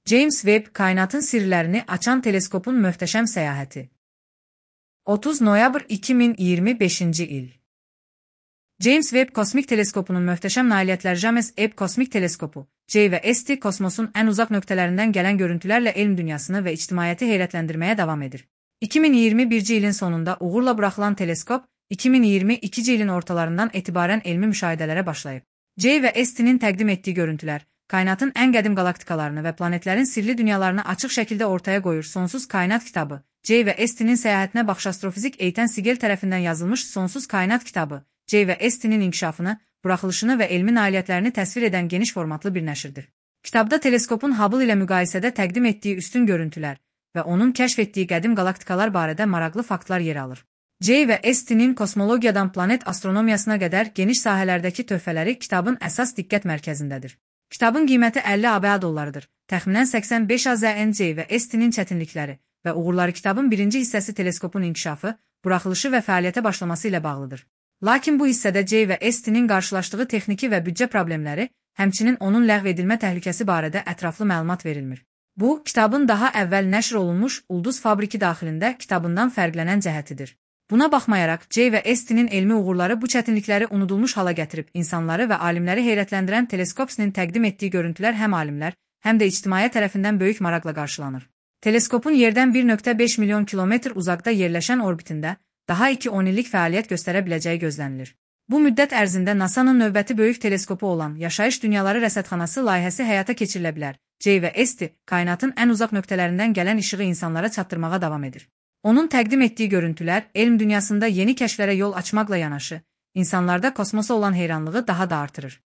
James Webb kainatın sirlərini açan teleskopun möhtəşəm səyahəti. 30 noyabr 2025-ci il. James Webb kosmik teleskopunun möhtəşəm nailiyyətləri James Webb kosmik teleskopu, J və ST kosmosun ən uzaq nöqtələrindən gələn görüntülərlə elm dünyasını və ictimaiyyəti heyrətləndirməyə davam edir. 2021-ci ilin sonunda uğurla buraxılan teleskop, 2022-ci ilin ortalarından etibarən elmi müşahidələrə başlayıb. J və ST-nin təqdim etdiyi görüntülər, kainatın ən qədim qalaktikalarını və planetlərin sirli dünyalarını açıq şəkildə ortaya qoyur. Sonsuz Kainat kitabı, J və ST-nin səyahətinə baxış astrofizik Eytan Sigel tərəfindən yazılmış Sonsuz Kainat kitabı, J və ST-nin inkişafını, buraxılışını və elmi nailiyyətlərini təsvir edən geniş formatlı bir nəşrdir. Kitabda teleskopun Hubble ilə müqayisədə təqdim etdiyi üstün görüntülər və onun kəşf etdiyi qədim qalaktikalar barədə maraqlı faktlar yer alır. J və ST-nin kosmologiyadan planet astronomiyasına qədər geniş sahələrdəki töhfələri kitabın əsas diqqət mərkəzindədir. Kitabın qiyməti 50 ABA dollarıdır. Təxminən 85 AZN J və ST-nin çətinlikləri və uğurları kitabın birinci hissəsi teleskopun inkişafı, buraxılışı və fəaliyyətə başlaması ilə bağlıdır. Lakin bu hissədə J və ST-nin qarşılaşdığı texniki və büdcə problemləri, həmçinin onun ləğv edilmə təhlükəsi barədə ətraflı məlumat verilmir. Bu, kitabın daha əvvəl nəşr olunmuş Ulduz Fabriki daxilində kitabından fərqlənən cəhətidir. Buna baxmayaraq, J və ST-nin elmi uğurları bu çətinlikləri unudulmuş hala gətirib, insanları və alimləri heyrətləndirən teleskopsinin təqdim etdiyi görüntülər həm alimlər, həm də ictimaiyyət tərəfindən böyük maraqla qarşılanır. Teleskopun yerdən 1,5 milyon kilometr uzaqda yerləşən orbitində daha 2-10 illik fəaliyyət göstərə biləcəyi gözlənilir. Bu müddət ərzində NASA-nın növbəti böyük teleskopu olan Yaşayış Dünyaları Rəsədxanası layihəsi həyata keçirilə bilər. J və ST kainatın ən uzaq nöqtələrindən gələn işığı insanlara çatdırmağa davam edir. Onun təqdim etdiyi görüntülər elm dünyasında yeni kəşflərə yol açmaqla yanaşı, insanlarda kosmosa olan heyranlığı daha da artırır.